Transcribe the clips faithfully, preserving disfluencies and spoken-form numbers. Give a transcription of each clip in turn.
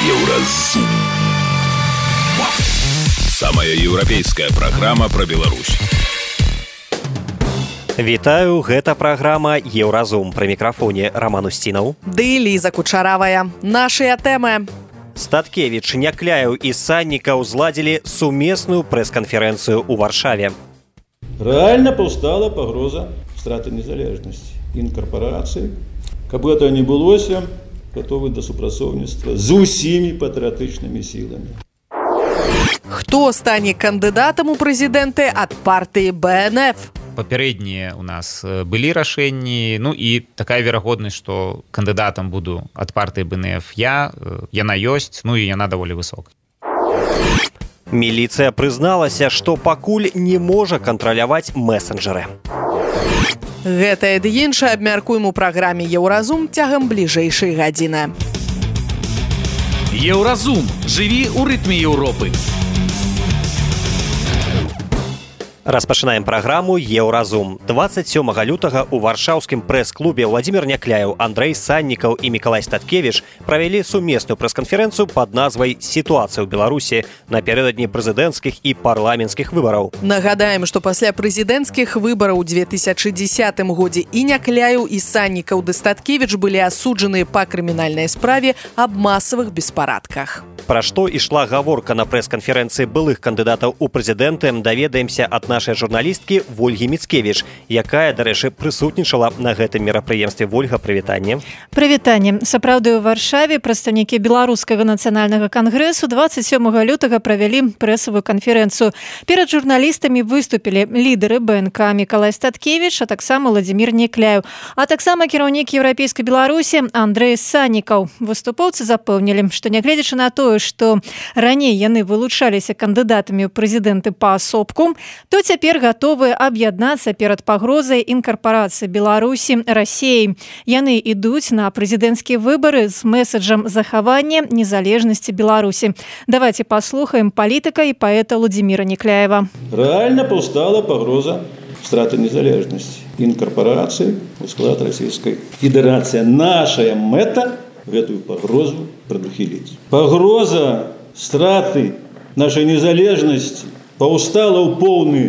Еўразум. Самая еўрапейская праграма пра Беларусь. Вітаю, гэта праграма Еўразум. Пры мікрафоне Роман Устінаў. Ды Ліза Кучаравая. Нашыя тэмы. Статкевіч, Някляеў і Саннікаў зладзілі сумесную прэс-канферэнцыю ў Варшаве. Рэальна паўстала пагроза страты незалежнасці, інкарпарацыі. Каб гэта не былося, гатовы да супрацоўніцтва з усімі патрыятычнымі сіламі. Хто стане кандыдатам у прэзідэнты ад партыі бэ эн эф? Папярэднія ў нас былі рашэнні, ну і такая верагоднасць, што кандыдатам буду ад партыі бэ эн эф я, яна ёсць, ну і яна даволі высокая. Міліцыя прызналася, што пакуль не можа кантраляваць месенджеры. Гэтае ды іншае абмяркуем у праграме Еўразум цягам бліжэйшай гадзіны. Еўразум. Жыві ў рытме Еўропы. Распачынаем праграму Еўразум. дваццаць сёмага лютага ў варшаўскім прэс-клубе Владзімір Някляеў, Андрэй Саннікаў і Мікалай Статкевіч правялі сумесную прэс-канферэнцыю пад назвай «Сітуацыя ў Беларусі» напярэдадні прэзідэнцкіх і парламенцкіх выбараў. Нагадаем, што пасля прэзідэнцкіх выбараў у две тысячы дзесятым годзе і Някляеў, і Саннікаў ды Статкевіч былі асуджаныя па крымінальнай справе аб масавых беспарадках. Пра што ішла гаворка на прэс-канферэнцыі былых кандыдатаў у прэзідэнты, даведаемся ад нашай журналісткі Вольгі Міцкевіч, якая, дарэчы, прысутнічала на гэтым мерапрыемстве. Вольга, прывітанне. Прывітанне. Сапраўды, у Варшаве прадстаўнікі Беларускага нацыянальнага кангрэсу дваццаць сёмага лютага правялі прэсавую канферэнцыю. Перад журналістамі выступілі лідары бэ эн ка Мікалай Статкевіч, а таксама Владзімір Някляеў, а таксама кіраўнік Еўрапейскай Беларусі Андрэй Саннікаў. Выступоўцы запэўнілі, што нягледзячы на тое, што раней яны вылучаліся кандыдатамі ў прэзідэнты паасобку, то цяпер гатовыя аб'яднацца перад пагрозай інкарпарацыі Беларусі Расіяй. Яны ідуць на прэзідэнцкія выбары з мэсаджам захавання незалежнасці Беларусі. Давайте паслухаем палітыка і паэта Владзіміра Някляева. Рэальна паўстала пагроза страты незалежнасці, інкарпарацыі ў склад Расійскай Федэрацыі. Нашая мэта гэтую пагрозу прадухіліць. Пагроза страты нашай незалежнасці паўстала ў поўны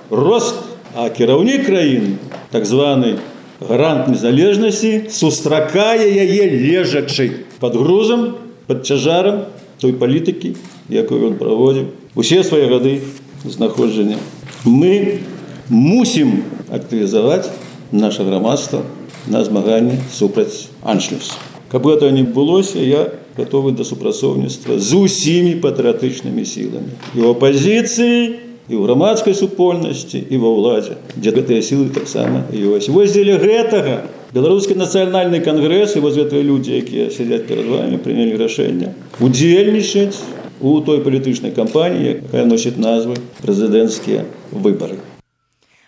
рост, а кіраўнік краіны, так званы гарант незалежнасці, сустракае яе лежачы пад грузам, пад цяжарам той палітыкі, якую ён праводзіў усе свае гады знаходжання. Мы мусім актывізаваць наша грамадства на змаганне супраць аншлюсу. Каб гэта не былося, я гатовы да супрацоўніцтва з усімі патрыятычнымі сіламі. І ў апазіцыі, і ў грамадскай супольнасці, і ва ўладзе, дзе гэтыя сілы таксама ёсць. Вось дзеля гэтага Беларускі нацыянальны кангрэс і вось гэтыя людзі, якія сядзяць перад вамі, прынялі рашэнне удзельнічаць у той палітычнай кампаніі, якая носіць назву прэзідэнцкія выбары.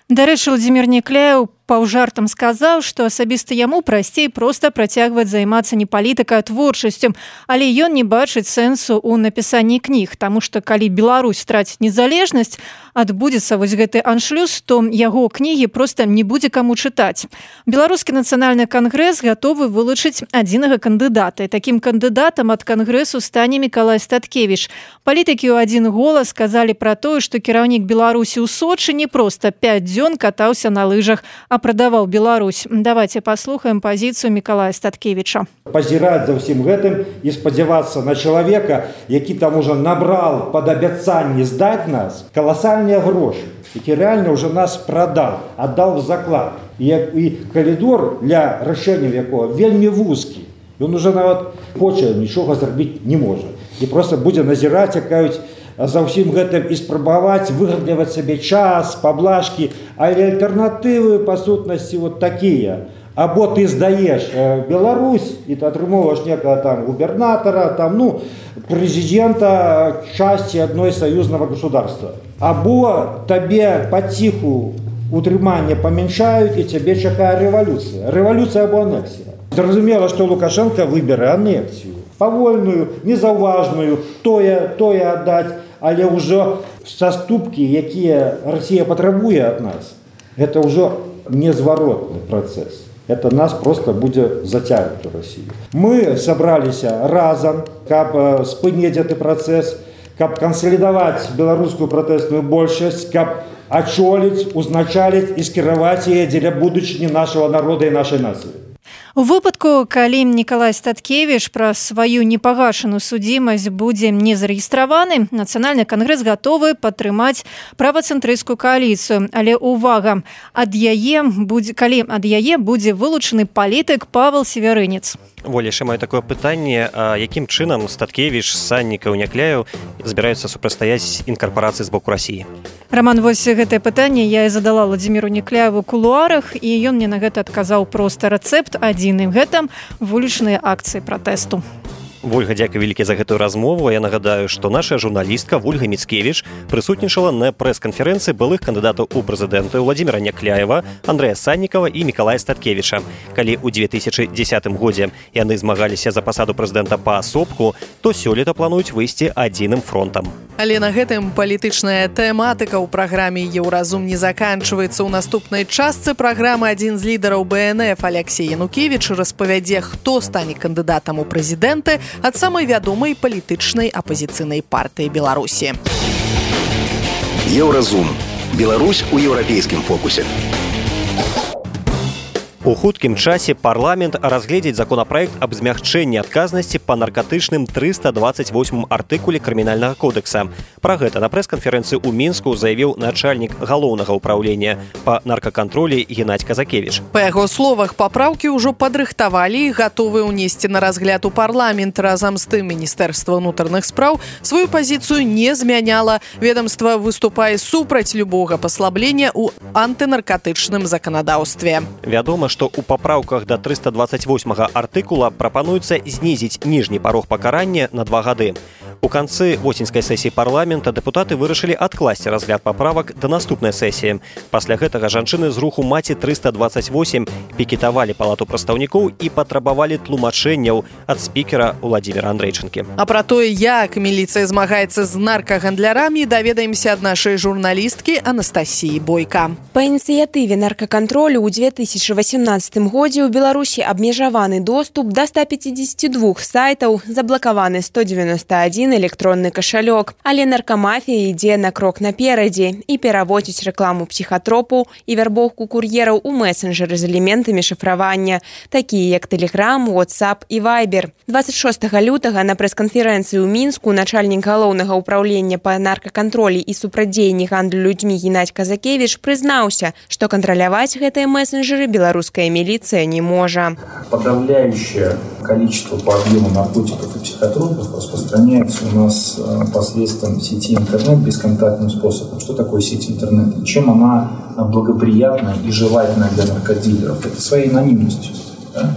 Дарэчы, Владзімір Някляеў паўжартам сказаў, што асабіста яму прасцей проста працягваць займацца не палітыкай, а творчасцю, але ён не бачыць сэнсу ў напісанні кніг, таму што калі Беларусь страціць незалежнасць, адбудзецца вось гэты аншлюс, то яго кнігі проста не будзе каму чытаць. Беларускі нацыянальны кангрэс гатовы вылучыць адзінага кандыдата, і такім кандыдатам ад кангрэсу стане Мікалай Статкевіч. Палітыкі ў адзін голас сказалі пра тое, што кіраўнік Беларусі ў Сочы не проста пяць дзён катаўся на лыжах, а прадаваў Беларусь. Давайте паслухаем пазіцыю Мікалая Статкевіча. Пазіраць за ўсім гэтым і спадзявацца на чалавека, які там ужо набрал пад абяцанне здаць нас каласальныя грошы, які рэальна ўжо нас прадаў, аддаў в заклад. І, і калідор для рашэнняў якога вельмі вузкі. Ён уже нават хоча нічога зрабіць не можа. І проста будзе назіраць, якаюць за ўсім гэтым і спрабаваць выгадліваць сабе час, паблажкі, але альтэрнатывы па сутнасці вот такія. Або ты здаеш Беларусь і ты атрымоўваеш некага там губернатара, там, ну, прэзідэнта часці адной саюзнага государства. Або табе паціху утрыманне памяншаюць і цябе чакае рэвалюцыя. Рэвалюцыя або анексія. Зразумела, што Лукашенко выбере анексію. Павольную, незаўважную, тое, тое аддаць, але ўжо саступкі, якія Расія патрабуе ад нас, гэта ўжо незваротны працэс. Это нас просто будет затягивать в Россию. Мы собрались разом, каб спыніць гэты працэс, каб кансалідаваць беларускую пратэсную большасць, каб ачоліць, узначаліць і скіраваць яе дзеля будучыні нашага народа і нашай нацыі. У выпадку, калі Мікалай Статкевіч пра сваю непагашаную судзімасць будзе не зарэгістраваны, Нацыянальны кангрэс гатовы падтрымаць правацэнтрысцкую кааліцыю. Але увага, ад яе будзе, калі ад яе будзе вылучаны палітык Павел Северынец. Воліш, маю такое пытанне, а якім чынам Статкевіч, Саннікаў, Някляеў збіраюцца супрацьстаяць інкарпорацыі з боку Расіі? Роман, вось гэтае пытанне я і задала Владзіміру Някляеву ў кулуарах, і ён мне на гэта адказаў проста рэцэпт адзін, і гэта вулічныя акцыі пратэсту. Вольга, дзякуй вялікі за гэтую размову. Я нагадаю, што наша журналістка Вольга Міцкевіч прысутнічала на прэс-канферэнцыі былых кандыдатаў у прэзідэнты Владзіміра Някляева, Андрэя Саннікава і Мікалая Статкевіча. Калі ў две тысячы дзесятым годзе яны змагаліся за пасаду прэзідэнта паасобку, то сёлета плануюць выйсці адзіным фронтам. Але на гэтым палітычная тэматыка ў праграме «Еўразум» не заканчваецца. У наступнай частцы праграмы адзін з лідараў бэ эн эф Алексей Янукевіч распавядзе, хто стане кандыдатам у прэзідэнты ад самай вядомай палітычнай апазіцыйнай партыі Беларусі. Еўразум. Беларусь у еўрапейскім фокусе. У хуткім часе парламент разгледзіць законапраект аб змягчэнні адказнасці па наркатычным трыста дваццаць восьмым артыкуле крымінальнага кодекса. Пра гэта на прэс-канферэнцыі ў Мінску заявіў начальнік галоўнага ўпраўлення па наркакантролі Геннадзь Казакевіч. Па яго словах, папраўкі ўжо падрыхтавалі і гатовы ўнесці на разгляд у парламент. Разам з тым Міністэрства ўнутраных спраў сваю пазіцыю не змяняла. Ведомства выступае супраць любога паслаблення ў антынаркатычным заканадаўстве. Вядома, што ў папраўках да трыста дваццаць восьмага артыкула прапануецца знізіць ніжні парог пакарання на два гады. У канцы восеньскай сесіі парламента дэпутаты вырашылі адкласці разгляд паправак да наступнай сесіі. Пасля гэтага жанчыны з руху «Маці трыста дваццаць восем» пікетавалі палату прадстаўнікоў і патрабавалі тлумачэнняў ад спікера Владзіміра Андрэйчынкі. А пра тое, як міліцыя змагаецца з наркагандлярамі, даведаемся ад нашай журналісткі Анастасіі Бойка. Па ініцыятыве наркакантролю ў две тысячы васемнаццатым годзе ў Беларусі абмежаваны доступ да ста пяцідзесяці двух сайтаў, заблакаваны сто дзевяносто адзін электронны кашалёк. Але наркамафія ідзе на крок наперадзе і пераводзіць рэкламу псіхатропаў і вярбоўку кур'ераў у месенджеры з элементамі шыфравання, такія як Telegram, WhatsApp і Viber. дваццаць шостага лютага на прэс-канферэнцыі ў Мінску начальнік галоўнага ўпраўлення па наркакантролі і супрацьдзеянні гандлю людзьмі Геннадзь Казакевіч прызнаўся, што кантраляваць гэтыя месенджеры беларуская милиция не может. Подавляющее количество по объему наркотиков и психотропов распространяется у нас посредством сети интернет бесконтактным способом. Что такое сеть интернет? И чем она благоприятна и желательна для наркодилеров? Это своей анонимностью. Да?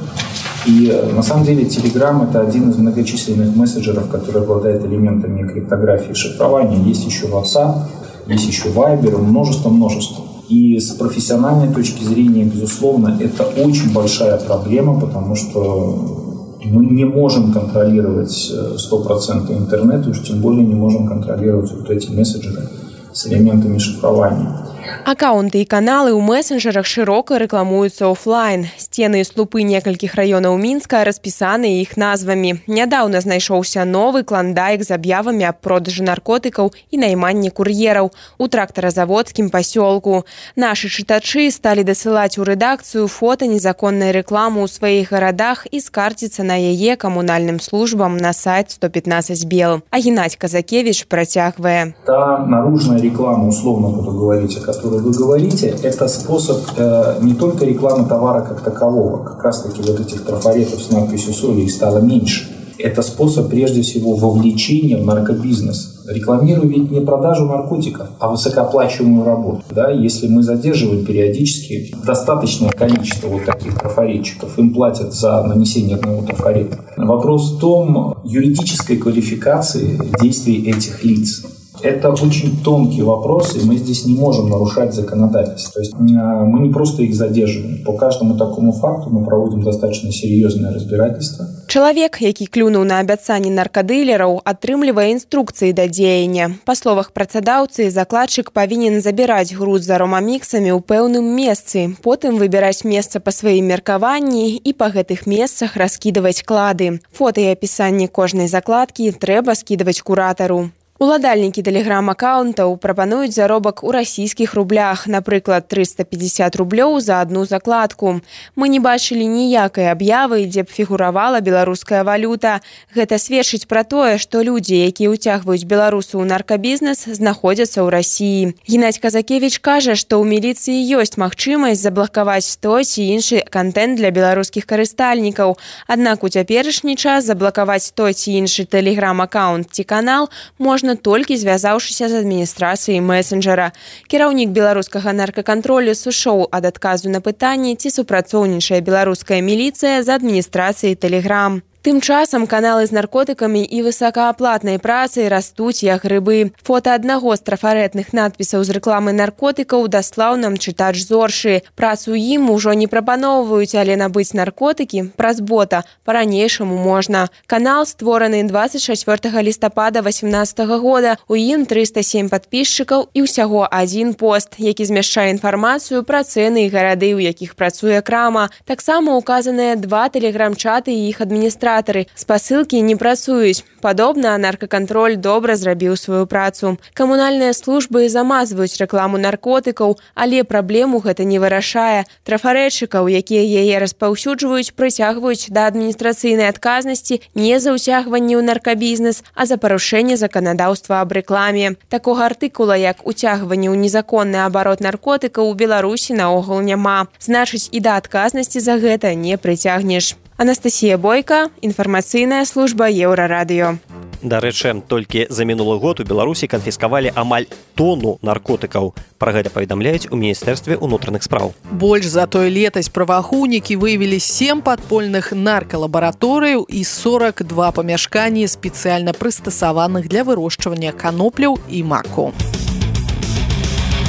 И на самом деле Telegram — это один из многочисленных мессенджеров, который обладает элементами криптографии и шифрования. Есть еще WhatsApp, есть еще Viber, множество-множество. И с профессиональной точки зрения, безусловно, это очень большая проблема, потому что мы не можем контролировать сто процентов интернет, уж тем более не можем контролировать вот эти мессенджеры с элементами шифрования. Аккаунты і каналы ў месенджерах шырока рэкламуюцца офлайн. Сцены і слупы некалькіх раёнаў Мінска распісаны іх назвамі. Нядаўна знайшоўся новы клондайк з аб'явамі аб продажы наркотыкаў і найманні кур'ераў у трактаразаводскім пасёлку. Нашы чытачы сталі дасылаць у рэдакцыю фота незаконнай рэкламы ў сваіх гарадах і скарціцца на яе камунальным службам на сайт сто пятнадцать бел. А Геннадзь Казакевіч працягвае. Та наружная реклама, условно буду говорить, о которой вы говорите, это способ э, не только рекламы товара как такового, как раз таки вот этих трафаретов с надписью соли их стало меньше. Это способ прежде всего вовлечения в наркобизнес. Рекламирую ведь не продажу наркотиков, а высокооплачиваемую работу. Да? Если мы задерживаем периодически достаточное количество вот таких трафаретчиков, им платят за нанесение одного трафарета. Вопрос в том юридической квалификации действий этих лиц. Это очень тонкий вопрос, и мы здесь не можем нарушать законодательство. То есть мы не просто их задерживаем. По каждому такому факту мы проводим достаточно серьезное разбирательство. Чалавек, які клюнуў на абяцанні наркадылераў, атрымлівае інструкцыі да дзеяння. Па словах працадаўцы, закладчык павінен забіраць груз з аромаміксамі ў пэўным месцы, потым выбіраць месца па сваім меркаванні і па гэтых месцах раскідаваць клады. Фота і апісанне кожнай закладкі трэба скідаваць куратару. Уладальнікі тэлеграм-аккаунтаў прапануюць заробак у расійскіх рублях, напрыклад, трыста пятьдесят рублёў за одну закладку. Мы не бачылі ніякай аб'явы, дзе б фігуравала беларуская валюта. Гэта сведчыць пра тое, што людзі, якія ўцягваюць беларусаў у наркабізнес, знаходзяцца ў Расіі. Геннадзь Казакевіч кажа, што ў міліцыі ёсць магчымасць заблакаваць той ці іншы кантэнт для беларускіх карыстальнікаў. Аднак у цяперашні час заблакаваць той ці іншы тэлеграм-аккаунт ці канал можна толькі звязаўшыся з адміністрацыяй месенджера. Кіраўнік беларускага наркакантролю сышоў ад адказу на пытанне, ці супрацоўнічае беларуская міліцыя з адміністрацыяй Тэлеграм. Тым часам каналы з наркотыкамі і высокааплатнай працай растуць як грыбы. Фота аднаго з трафарэтных надпісаў з рэкламы наркотыкаў даслаў нам чытач Зоршы. Працу ім ужо не прапаноўваюць, але набыць наркотыкі праз бота па-ранейшаму можна. Канал створаны двадцать чацвёртага лістапада васемнаццатага года. У ім трыста сем падпісчыкаў і ўсяго адзін пост, які змяшчае інфармацыю пра цэны і гарады, у якіх працуе крама. Таксама указаныя два тэлеграм-чаты і іх адміністрацыі. Спасылкі не працуюць. Падобна, наркакантроль добра зрабіў сваю працу. Камунальныя службы замазваюць рэкламу наркотыкаў, але праблему гэта не вырашае. Трафарэдчыкаў, якія яе распаўсюджваюць, прыцягваюць да адміністрацыйнай адказнасці не за ўцягванне ў наркабізнес, а за парушэнне заканадаўства аб рэкламе. Такога артыкула, як уцягванне ў незаконны абарот наркотыкаў у Беларусі наогул няма. Значыць, і да адказнасці за гэта не прыцягнеш. Анастасія Бойка, інфармацыйная служба Еўрарадыё. Дарэчы, толькі за мінулы год у Беларусі канфіскавалі амаль тону наркотыкаў. Пра гэта паведамляюць у Міністэрстве ўнутраных спраў. Больш за той летась праваахоўнікі выявілі сем падпольных наркалабараторыяў і сорок два памяшканні спецыяльна прыстасаваных для вырошчвання канопляў і маку.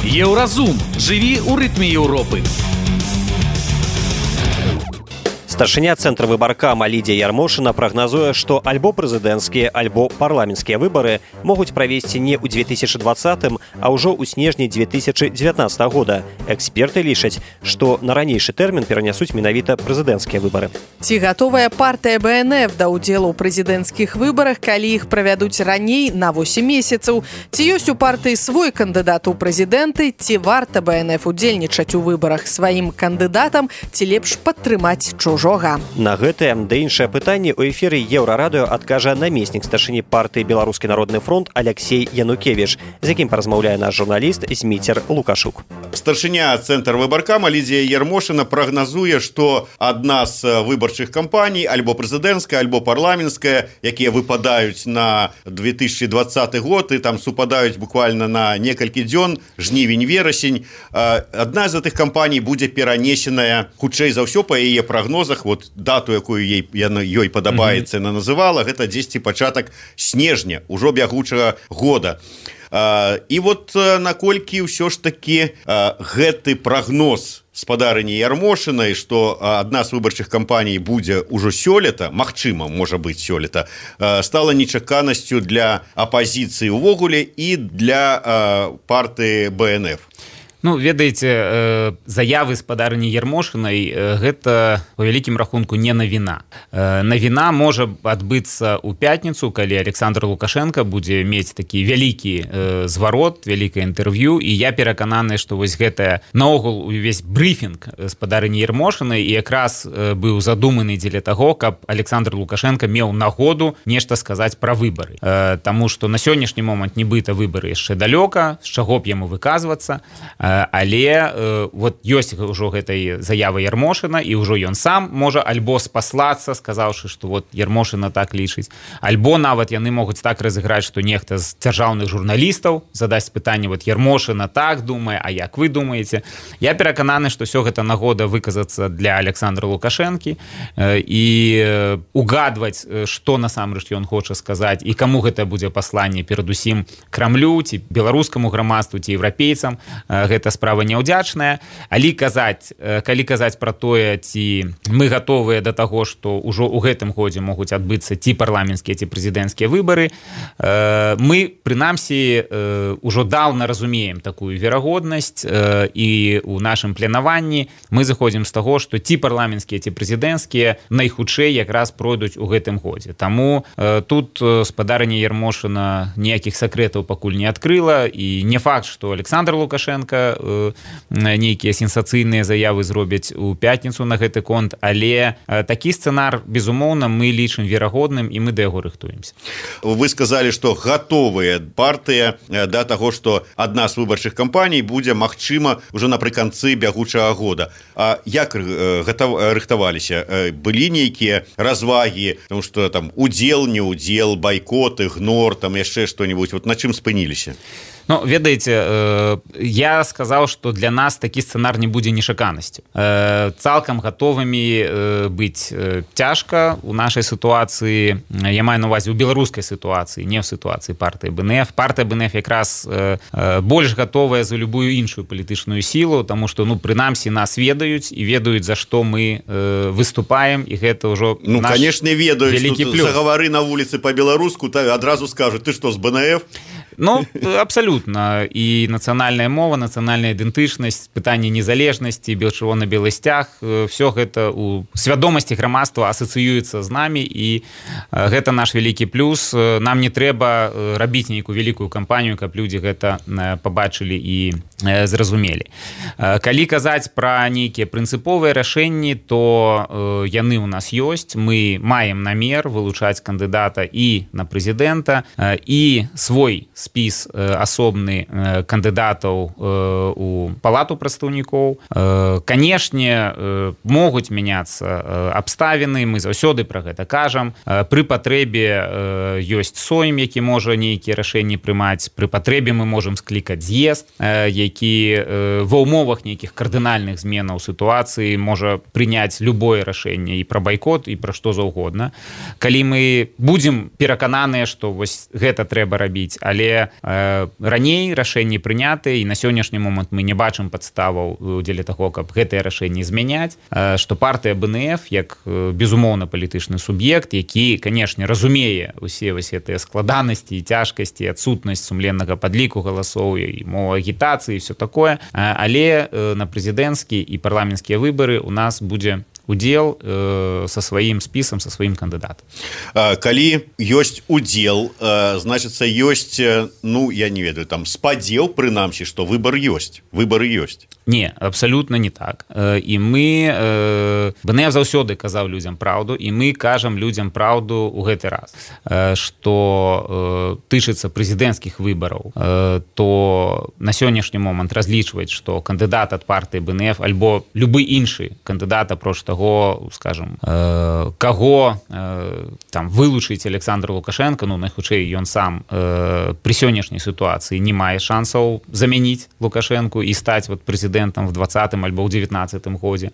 Еўразум. Жыві ў рытме Еўропы. Старшыня цэнтра выбаркама Лідзія Ярмошына прагназуе, што альбо прэзідэнцкія, альбо парламенцкія выбары могуць правесці не ў две тысячы двадцатым, а ўжо ў снежні две тысячы дзевятнаццатага года. Эксперты лічаць, што на ранейшы тэрмін перанясуць менавіта прэзідэнцкія выбары. Ці гатовая партыя бэ эн эф да ўдзелу ў прэзідэнцкіх выбарах, калі іх правядуць раней на восем месяцаў? Ці ёсць у партыі свой кандыдат у прэзідэнты? Ці варта бэ эн эф удзельнічаць у выбарах сваім кандыдатам? Ці лепш падтрымаць чужого? На гэтае да іншае пытанне ў эфіры Еўрарадыё адкажа намеснік старшыні партыі Беларускі народны фронт Алексей Янукевіч, з якім паразмаўляе наш журналіст Зміцер Лукашук. Старшыня цэнтр выбаркама Лідзія Ярмошына прагназуе, што адна з выбарчых кампаній, альбо прэзідэнцкая, альбо парламенцкая, якія выпадаюць на две тысячи двадцаты год і там супадаюць буквально на некалькі дзён, жнівень-верасень, адна з гэтых кампаній будзе перанесеная хутчэй за ўсё па яе прогнозах. Вот дату, якую ей, яна, ёй падабаецца, яна называла, гэта дзесьці пачатак снежня, ужо бягучага года. А, і вот наколькі ўсё ж такі а, гэты прагноз спадарыні Ярмошынай, што адна з выбарчых кампаній будзе ўжо сёлета, магчыма, можа быць сёлета, стала нечаканасцю для апазіцыі ўвогуле і для партыі бэ эн эф. Ну, ведаеце, заявы спадарыні Ярмошынай гэта по вялікім рахунку не навіна. Навіна можа адбыцца ў пятніцу, калі Александр Лукашенко будзе мець такі вялікі зварот, вялікае інтэрв'ю, і я перакананы, што вось гэтая наогул увесь брыфінг спадарыні Ярмошынай і якраз быў задуманы дзеля таго, каб Александр Лукашенко меў нагоду нешта сказаць пра выбары. Таму што на сённяшні момант нібыта выбары яшчэ далёка, з чаго б яму выказвацца, але э, вот ёсць ўжо гэтай заявы Ярмошына, і ўжо ён сам можа альбо спаслацца, сказаўшы, што вот Ярмошына так лічыць, альбо нават яны могуць так разыграць, што нехта з дзяржаўных журналістаў задасць пытанне, вот Ярмошына так думае, а як вы думаеце? Я перакананы, што ўсё гэта нагода выказацца для Александра Лукашэнкі э, і э, угадваць, што насамрэч ён хоча сказаць, і каму гэта будзе пасланне, перадусім Крамлю, ці беларускаму грамадству, ці еўрапейцам. Э, гэта справа няўдзячная, але казаць калі казаць пра тое, ці мы гатовыя да таго, што ўжо ў гэтым годзе могуць адбыцца ці парламенцкія, ці прэзідэнцкія выбары, мы прынамсі ўжо даўна разумеем такую верагоднасць, і ў нашым планаванні мы заходзім з таго, што ці парламенцкія, ці прэзідэнцкія найхутчэй якраз пройдуць у гэтым годзе. Таму тут спадарня Ярмошына ніякіх сакрэтаў пакуль не адкрыла, і не факт, што Александр Лукашенко нейкія сенсацыйныя заявы зробяць у пятніцу на гэты конт, але такі сцэнар, безумоўна, мы лічым верагодным, і мы да яго рыхтуемся. Вы сказалі, што гатовыя партыя да таго, што адна з выбарчых кампаній будзе, магчыма, ўжо напрыканцы бягучага года. А як рыхтаваліся? Былі нейкія развагі, тому што там удзел, не удзел, байкот, ігнор, там яшчэ што-нибудь, вот на чым спыніліся? Ну, ведаеце, я сказаў, што для нас такі сцэнар не будзе нечаканасцю. Цалкам гатовымі быць цяжка у нашай сітуацыі, я маю на увазе ў беларускай сітуацыі, не ў сітуацыі партыі БНФ. Партыя БНФ якраз больш гатовая за любую іншую палітычную сілу, таму што, ну, прынамсі, нас ведаюць і ведаюць, за што мы выступаем, і гэта ўжо ну, наш конечно, ведаюць, вялікі плюс. Загавары на вуліцы па-беларуску, адразу скажуць, ты што, з БНФ? Ну, абсалютна. І нацыянальная мова, нацыянальная ідэнтычнасць, пытанне незалежнасці, чырвона-белы сцяг, все гэта у свядомасці грамадства асацыюецца з намі, і гэта наш вялікі плюс. Нам не трэба рабіць нейкую вялікую кампанію, каб людзі гэта пабачылі і зразумелі. Калі казаць пра нейкія прынцыповыя рашэнні, то яны ў нас ёсць. Мы маем намер вылучаць кандыдата і на прэзідэнта, і свой спіс асобны кандыдатаў у палату прадстаўнікоў. Канешне, могуць мяняцца абставіны, мы заўсёды пра гэта кажам. Пры патрэбе ёсць сойм, які можа нейкія рашэнні прымаць. Пры патрэбе мы можам склікаць з'езд, які ва ўмовах нейкіх кардынальных зменаў сітуацыі можа прыняць любое рашэнне і пра байкот, і пра што заўгодна. Калі мы будзем перакананыя, што вось гэта трэба рабіць, але раней рашэнні прынятыя, і на сённяшні момант мы не бачым падставаў дзеля таго, каб гэтыя рашэнні змяняць, што партыя БНФ, як безумоўна палітычны суб'ект, які, канешне, разумее усе вось гэтыя складанасці і цяжкасці, адсутнасць сумленнага падліку галасоў і мова агітацыі і все такое, але на прэзідэнцкі і парламенцкія выбары у нас будзе удзел э, со сваім спісам, со сваім кандыдатам. Калі ёсць удзел, э, значыцца ёсць, ну, я не ведаю, там спадзеў, прынамсі, што выбар ёсць, выбары ёсць. Не, абсалютна не так. І мы, э, БНФ заўсёды казаў людзям праўду, і мы кажам людзям праўду ў гэты раз, што э, тычыцца прэзідэнцкіх выбараў, э, то на сённяшні момант разлічваць, што кандыдат ад партыі БНФ альбо любы іншы кандыдат, апроч таго, скажем, э, каго э, там вылучыць Александр Лукашенко, ну, найхутчэй ён сам э, пры сённяшняй сітуацыі не мае шансаў замяніць Лукашенку і стаць вот прэзідэнтам в двадцатым альбо ў дзевятнаццатым годзе.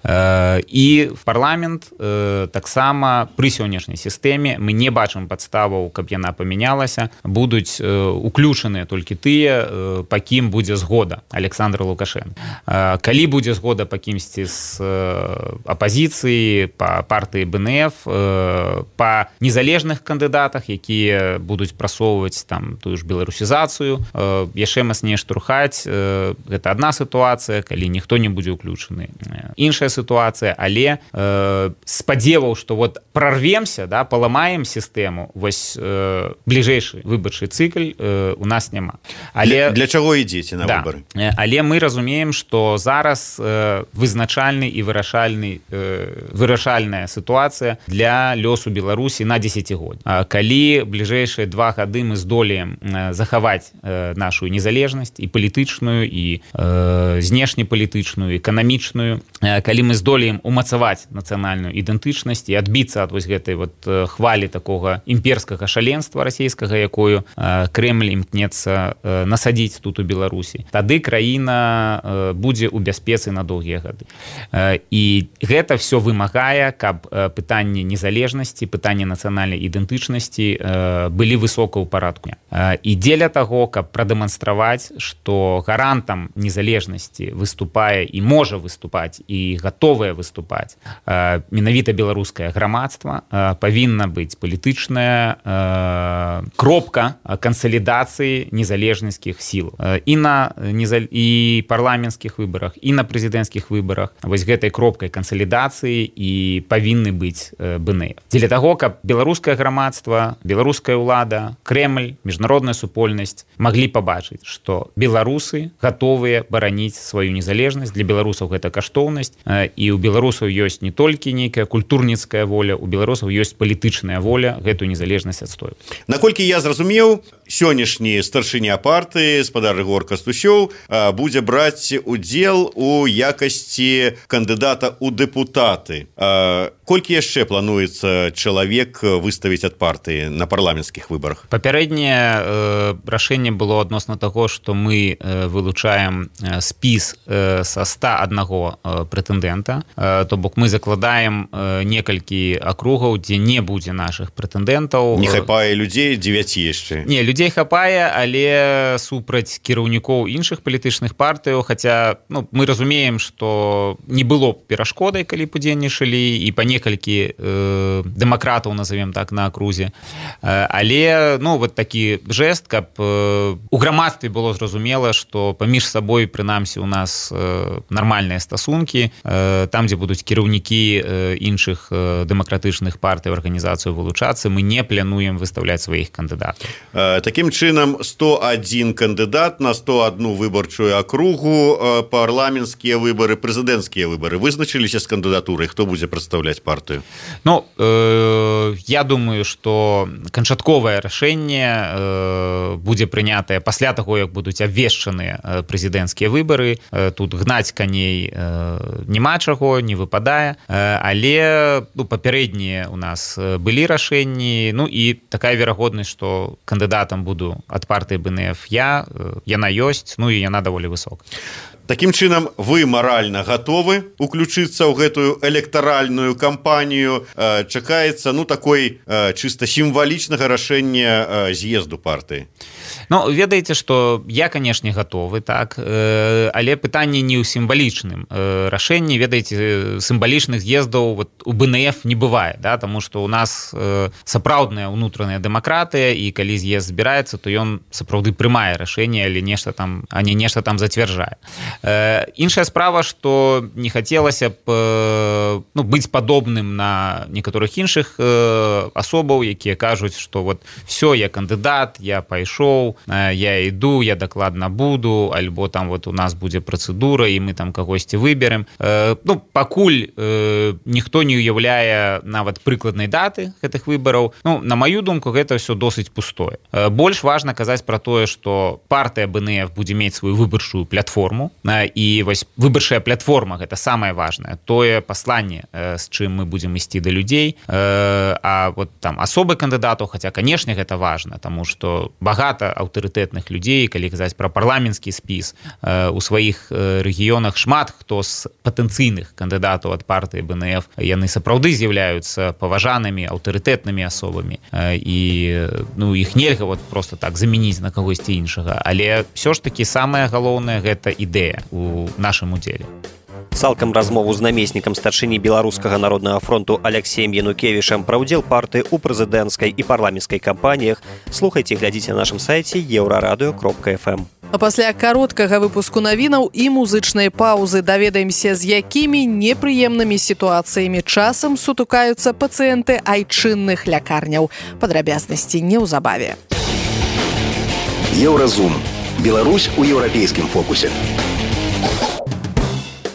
Э, і в парламент э, таксама пры сённяшняй сістэме мы не бачым падставаў, каб яна памянялася, будуць э, уключаныя толькі тыя, э, па кім будзе згода Александра Лукашенко. Э, калі будзе згода па кімсьці з э, апазіцыі, па партыі БНФ, э, па незалежных кандыдатах, якія будуць прасоўваць там тую ж беларусізацыю, э, яшчэ мацней штурхаць, э, гэта адна сітуацыя, калі ніхто не будзе ўключаны. Іншая сітуацыя, але э, спадзеваў, што вот прорвемся, да, паламаем сістэму, вось э, бліжэйшы выбарчы цыкл э, у нас няма. Але, для, для чаго ідзеце на да, выбары? Але мы разумеем, што зараз э, вызначальны і вырашальны, э, вырашальная сітуацыя для лёсу Беларусі на дзесяцігоддзе. Калі бліжэйшыя два гады мы здолеем э, захаваць э, нашу незалежнасць і палітычную, і э, знешнепалітычную, эканамічную, калі мы здолеем умацаваць нацыянальную ідэнтычнасць і адбіцца ад вось гэтай вот хвалі такога імперскага шаленства расійскага, якую Крэмль імкнецца насадзіць тут у Беларусі, тады краіна будзе ў бяспецы на доўгія гады. І гэта все вымагае, каб пытанні незалежнасці, пытанні нацыянальнай ідэнтычнасці былі высока ў парадку. І дзеля таго, каб прадэманстраваць, што гарантам незалежнасці выступае і можа выступаць і гатовае выступаць менавіта беларускае грамадства, павінна быць палітычная кропка кансалідацыі незалежніцкіх сіл і на і парламенцкіх выбарах, і на прэзідэнцкіх выбарах. Вось гэтай кропкай кансалідацыі і павінны быць БНФ. Дзеля таго, каб беларускае грамадства, беларуская ўлада, Крэмль, міжнародная супольнасць маглі пабачыць, што беларусы гатовыя бараніць сваю незалежнасць. Для беларусаў гэта каштоўнасць, і ў беларусаў ёсць не толькі нейкая культурніцкая воля, у беларусаў ёсць палітычная воля гэтую незалежнасць адстойваць. Наколькі я зразумеў, сённяшні старшыня партыі спадар Рыгор Кастусёў будзе браць удзел у якасці кандыдата ў дэпутаты. Колькі яшчэ плануецца чалавек выставіць ад партыі на парламенцкіх выбарах? Папярэдняе рашэнне было адносна таго, што мы вылучаем спіс са ста аднаго прэтэндэнта, то бок мы закладаем некалькі акругаў, дзе не будзе нашых прэтэндэнтаў. Не хапае людзей, дзевяці яшчэ. Не, людзей хапае, але супраць кіраўнікоў іншых палітычных партыяў, хаця ну, мы разумеем, што не было перашкодай, калі удзельнічалі і па некалькі э, дэмакратаў, назовем так, на акрузе. Э, але ну, вот такі жэст, каб э, у грамадстве было зразумела, што паміж сабой, прынамсі, у нас э, нармальныя стасункі, э, там, дзе будуць кіраўнікі э, іншых э, дэмакратычных партый, арганізацыяў вылучацца, мы не плануем выставляць сваіх кандыдатаў. Э, такім чынам, сто адзін кандыдат на сто адну выбарчую акругу, э, парламенцкія выбары, прэзідэнцкія выбары. Вызначыліся з кандыдатурай, хто будзе прадстаўляць партыю? Ну, э, я думаю, што канчатковае рашэнне э, будзе прынятае пасля таго, як будуць абвешчаныя прэзідэнцкія выбары. Э, тут гнаць каней э, няма чаго, не выпадае, э, але ну, папярэднія у нас былі рашэнні, ну і такая верагоднасць, што кандыдатам буду ад партыі БНФ я, э, яна ёсць, ну і яна даволі высокая. Такім чынам, вы маральна гатовы уключыцца ў гэтую электаральную кампанію. Чакаецца ну такой чыста сімвалічнага рашэння з'езду партыі. Ну, ведаеце, што я, канешне, гатовы, так, але пытанне не ў сімвалічным рашэнні. Ведаеце, сімвалічных з'ездаў вот, у БНФ не бывае, да, таму што ў нас сапраўдная ўнутраная дэмакратыя, і калі з'езд збіраецца, то ён сапраўды прымае рашэнне, але нешта там, а не нешта там зацвярджае. Іншая справа, што не хацелася б ну, быць падобным на некаторых іншых асобаў, якія кажуць, што вот все, я кандыдат, я пайшоў, я іду, я дакладна буду, альбо там вот у нас будзе працэдура, і мы там кагосьці выберем. Ну, пакуль ніхто не уяўляе нават прыкладнай даты гэтых выбараў, ну, на маю думку, гэта все досыць пустое. Больш важна казаць пра тое, што партыя БНФ будзе мець сваю выбарчую платформу, і вось выбарчая платформа гэта самае важнае, тое пасланне, з чым мы будзем ісці да людзей, а вот там асобы кандыдатаў, хаця, канешне, гэта важна, таму што багата аўтарытэтных людзей, калі казаць пра парламенцкі спіс, у сваіх рэгіёнах шмат хто з патэнцыйных кандыдатаў ад партыі БНФ, яны сапраўды з'яўляюцца паважанымі аўтарытэтнымі асобамі, і ну, іх нельга вот просто так замяніць на кагосьці іншага, але ўсё ж такі самае галоўнае гэта ідэя у нашым удзеле. Цалкам размову з намеснікам старшыні Беларускага народнага фронту Аляксеем Янукевічам пра ўдзел партыі ў прэзідэнцкай і парламенцкай кампаніях слухайце і глядзіце на нашым сайце еўрарадыё кропка эф эм. А пасля кароткага выпуску навінаў і музычнай паўзы даведаемся, з якімі непрыемнымі сітуацыямі часам сутыкаюцца пацыенты айчынных лякарняў. Падрабязнасці неўзабаве. Еўразум. Беларусь у еўрапейскім фокусе.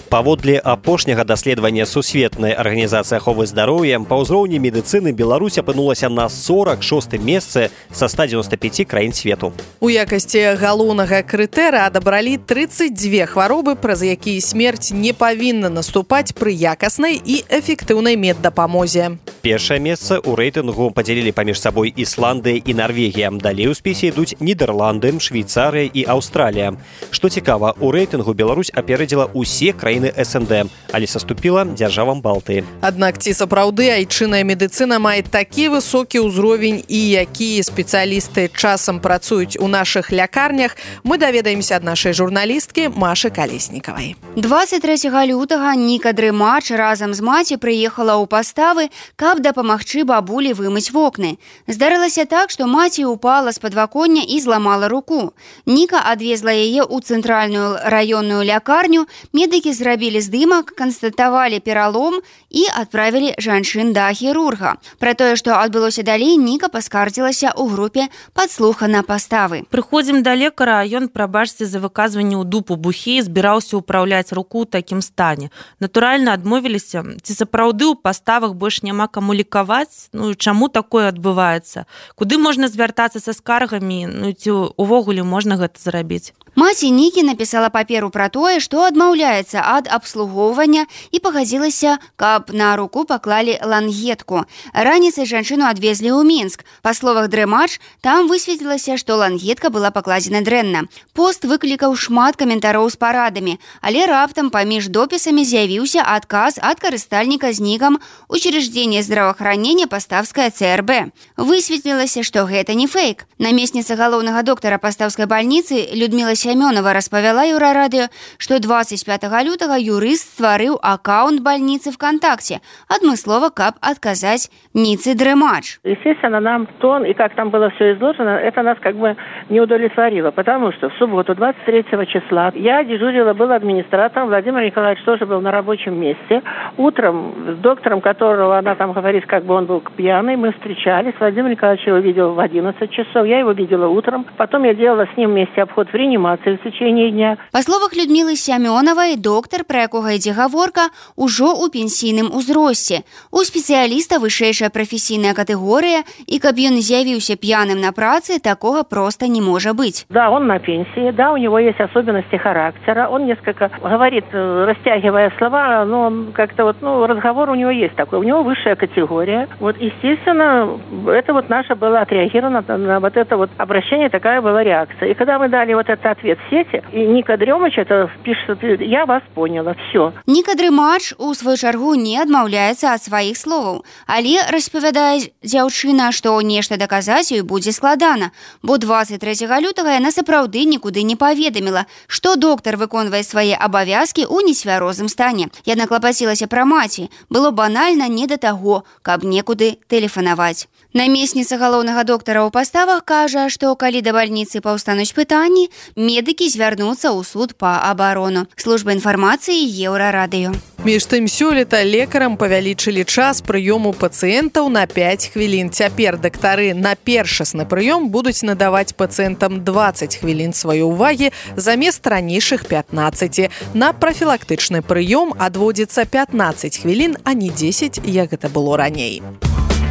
Паводле апошняга даследавання сусветнай арганізацыі аховы здароўя, па ўзроўні медыцыны Беларусь апынулася на сорак шостым месцы са ста дзевяноста пяці краін свету. У якасці галоўнага крытэра адабралі трыццаць дзве хваробы, праз якія смерць не павінна наступаць пры якаснай і эфектыўнай меддапамозе. Першае месца ў рэйтынгу падзялілі паміж сабой Ісландыя і Нарвегія. Далей у спісе ідуць Нідерланды, Швейцарыя і Аўстралія. Што цікава, у рэйтынгу Беларусь апярэдзіла ўсе краіны краіны эс эн дэ, але саступіла дзяржавам Балтыі. Аднак ці сапраўды айчынная медыцына мае такі высокі ўзровень і якія спецыялісты часам працуюць у нашых лякарнях, мы даведаемся ад нашай журналісткі Машы Калеснікавай. дваццаць трэцяга лютага Ніка Дрымач разам з маці прыехала ў паставы, каб дапамагчы бабулі вымыць вокны. Здарылася так, што маці упала з падваконня і зламала руку. Ніка адвезла яе ў цэнтральную раённую лякарню, медыкі зрабілі здымак, канстатавалі пералом і адправілі жанчын да хірурга. Пра тое, што адбылося далей, Ніка паскардзілася ў групе падслухана паставы. Прыходзім да лекара, а ён, прабачце за выказванне ў дупу бухі, збіраўся ўпраўляць руку ў такім стане. Натуральна, адмовіліся. Ці сапраўды ў паставах больш няма каму лікаваць? Ну, чаму такое адбываецца? Куды можна звяртацца са скаргамі? Ну, ці увогуле можна гэта зрабіць? Маці Нікі напісала паперу пра тое, што адмаўляецца ад абслугоўвання і пагадзілася, каб на руку паклалі лангетку. Раніцай жанчыну адвезлі ў Мінск. Па словах Дрымач, там высветлілася, што лангетка была пакладзена дрэнна. Пост выклікаў шмат каментароў з парадамі, але раптам паміж допісамі з'явіўся адказ ад карыстальніка з нікам «Учреждение здравоохранения Поставская цэ эр бэ». Высветлілася, што гэта не фейк. Намесніца галоўнага доктара Паставскай бальніцы Людмила Сямёнова распавяла Еўрарадыё, што двадцать пятого лютага юрыст стварыў аккаунт больницы ВКонтакте, адмыслова, каб отказать Нице Дрымач. Естественно, нам тон и как там было все изложено, это нас как бы не удовлетворило, потому что в субботу двадцать третьего числа я дежурила, был администратором, Владимир Николаевич тоже был на рабочем месте. Утром с доктором, которого она там говорит, как бы он был пьяный, мы встречались. Владимир Николаевич его видел в одиннадцать часов, я его видела утром. Потом я делала с ним вместе обход в реанимации в течение дня. Па словах Людмилы Сямёновай, доктор, пра якога ідзе гаворка, ужо ў пенсійным узросце. У спецыяліста вышэйшая прафесійная катэгорыя, і каб ён з'явіўся пьяным на працы, такога просто не может быть. Да, он на пенсии, да, у него есть особенности характера, он несколько говорит, растягивая слова, но он как-то вот, ну, разговор у него есть такой, у него высшая категория. Вот, естественно, это вот наше было отреагировано на, на вот это вот обращение, такая была реакция. И когда мы дали вот этот ответ в сети, и Ника Дрымач это пишет, я вас поняла, все. Ніка Дрымач у свою чаргу не адмаўляецца ад сваіх словаў, але распавядае дзяўчына, што нешта даказаць ёй будзе складана, бо двадцать трэцяга лютага яна сапраўды нікуды не паведаміла, што доктар выконвае свае абавязкі ў несвярозым стане. Яна клапацілася пра маці, было банальна не да таго, каб некуды тэлефанаваць. Намесніца галоўнага доктара ў паставах кажа, што калі да бальніцы паўстануць пытанні, медыкі звярнуцца ў суд па абарону. Служба інфармацыі Еўрарадыё. Між тым, сёлета лекарам павялічылі час прыёму пацыентаў на пять хвілін. Цяпер дактары на першасны прыём будуць надаваць пацыентам двадцать хвілін сваёй увагі замест ранейшых пятнаццаці. На прафілактычны прыём адводзіцца пятнаццаць хвілін, а не дзесяць, як гэта было раней.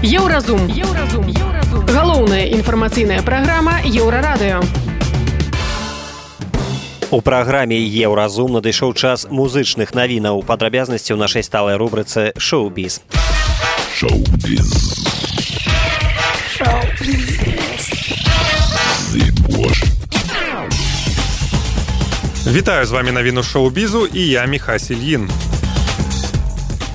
Еўразум. Еўразум. Еўразум. Галоўная інфармацыйная праграма Еўрарадыё. У праграме «Еўразум» надышоў час музычных навінаў. Падрабязнасці ў нашай сталай рубрыцы «Шоу-біз». Шоу-біз. Шоу-біз. Вітаю, з вами навіну шоу-бізу і я Міхась Ільін.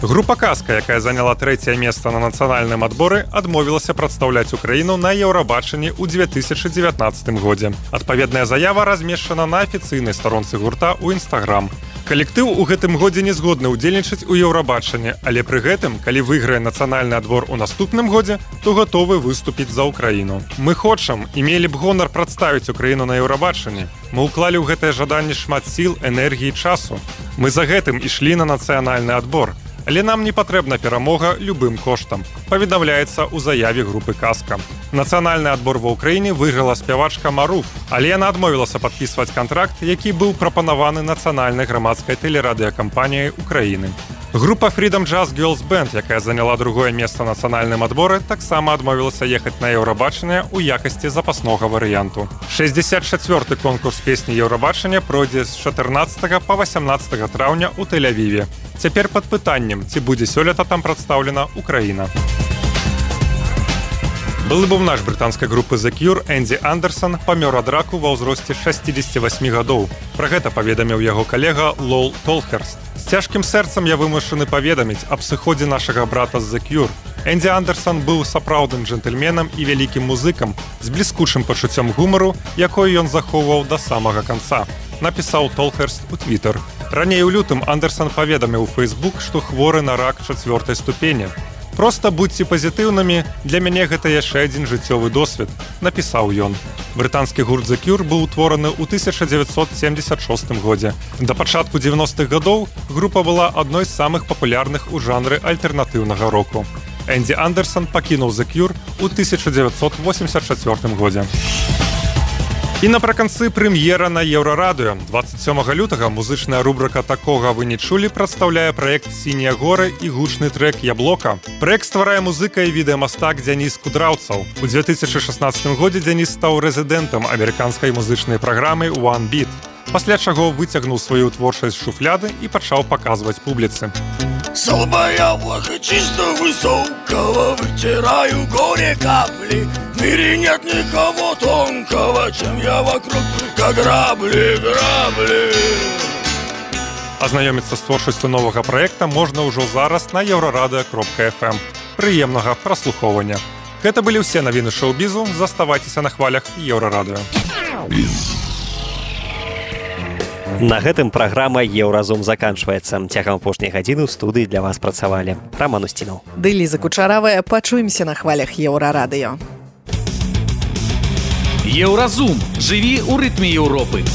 Група «Казка», якая заняла трэцяе месца на нацыянальным адборы, адмовілася прадстаўляць Украіну на Еўрабачанні ў две тысячы дзевятнаццатым годзе. Адпаведная заява размешчана на афіцыйнай старонцы гурта ў Інстаграм. Калектыў у гэтым годзе не згодны ўдзельнічаць у Еўрабачанні, але пры гэтым, калі выйграе нацыянальны адбор у наступным годзе, то гатовы выступіць за Украіну. Мы хочам і мелі б гонар прадставіць Украіну на Еўрабачанні. Мы ўклалі ў гэтае жаданне шмат сіл, энергіі і часу. Мы за гэтым ішлі на нацыянальны адбор. Але нам не патрэбна перамога любым коштам, паведамляецца ў заяве групы «Казка». Нацыянальны адбор ва ўкраіне выйграла спявачка Маруф, але яна адмовілася падпісваць кантракт, які быў прапанаваны нацыянальнай грамадскай тэлерадыёкампаніяй Украіны. Група Freedom Jazz Girls Band, якая заняла другое месца на нацыянальным адборы, таксама адмовілася ехаць на Еўрабачанне ў якасці запаснога варыянту. шэсцьдзесят чацвёрты конкурс песні Еўрабачання пройдзе з чатырнаццатага па васямнаццатае траўня ў Тель-Авіве. Цяпер пад пытаннем, ці будзе сёлета там прадстаўлена Украіна. Былы бубнач брытанскай групы The Cure Энді Андерсон памёр ад раку ва ўзросце шэсцідзесяці васьмі гадоў. Пра гэта паведаміў яго калега Лол Толхерст. З Цяжкім сэрцам я вымушаны паведаміць аб сыходзе нашага брата з The Cure. Энді Андерсон быў сапраўдным джентльменам і вялікім музыкам з бліскучым пачуццём гумару, якое ён захоўваў да самага канца, напісаў Толхерст у Твіттер. Раней у лютым Андерсон паведаміў у Facebook, што хворы на рак чацвёртай ступені. «Проста будьце пазітыўнымі, для мяне гэта яшчэ адзін жыццёвы досвед», напісаў ён. Брытанскі гурт The Cure быў утвораны ў тысяча дзевяцьсот семдзесят шостым годзе. Да пачатку дзевяностых гадоў група была адной з самых папулярных у жанры альтэрнатыўнага року. Энді Андерсон пакінуў The Cure ў тысяча дзевяцьсот восемьдесят чацвёртым годзе. І напрыканцы прэм'ера на Еўрарадыё. дваццаць сёмага лютага музычная рубрыка «Такога вы не чулі» прадстаўляе праект «Сінія горы» і гучны трэк «Яблока». Праект стварае музыка і відэамастак Дзяніс Кудраўцаў. У две тысячи шестнадцатым годзе Дзяніс стаў рэзідэнтам амерыканскай музычнай праграмы One Beat, пасля чаго выцягнуў сваю творчасць з шуфляды і пачаў паказваць публіцы. Солба яблоко чисто высокого, вытираю горе капли. В мире нет никого тонкого, чем я вокруг, только грабли, грабли. Азнаёміцца з творчасцю новага праекта можна ўжо зараз на еўрарадыё кропка эф эм. Прыемнага праслухоўвання. Гэта былі ўсе навіны шоу-бізу. Заставайцеся на хвалях Еўрарадыё. На гэтым праграма «Еўразум» заканчваецца. Цягам апошняй гадзіны ў студыі для вас працавалі Раман Устінаў. Ды Ліза Кучаравая. Пачуемся на хвалях Еўрарадыё. Еўразум. Жыві ў рытме Еўропы.